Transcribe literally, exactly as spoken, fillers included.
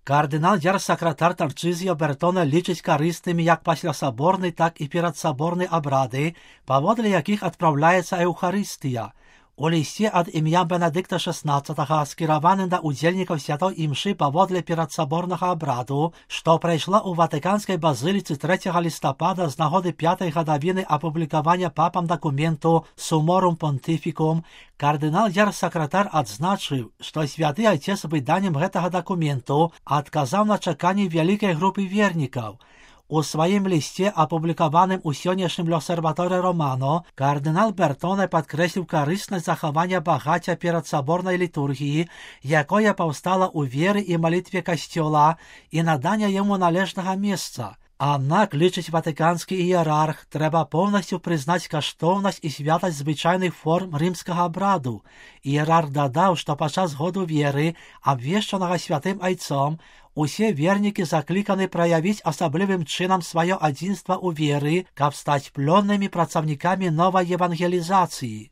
Кардинал дзяржсакратар Тарчызіо Бертона лічыць карыснымі як паслясаборны, так і перадсаборны абрады, паводле якіх адпраўляецца эўхарыстыя. У лісце ад імя Бенедыкта шаснаццатага, скіраваным да удзельнікаў святой імшы паводле перадсаборнага абраду, што прайшла ў Ватыканскай базыліцы трэцяга лістапада з нагоды пятай гадавіны апублікавання папам дакументу Суморум Понтифікум, кардынал дзяржсакратар адзначыў, што святы айцец выданнем гэтага дакументу адказаў на чаканні вялікай групы вернікаў. У сваім лісце, апублікаваным у сённяшнім L'Osservatore Romano, кардынал Бертоне падкрэсліў карыснасць захавання багацця перадсаборнай літургіі, якое паўстала ў веры і малітве касцёла, і надання яму належнага месца. Аднак, лічыць ватыканскі іерарх, трэба поўнасцю прызнаць каштоўнасць і святасць звычайных форм рымскага абраду. Іерарх дадаў, што падчас году веры, абвешчанага святым айцом, усе вернікі закліканы праявіць асаблівым чынам сваё адзінства ў веры, каб стаць плённымі працаўнікамі новай евангелізацыі.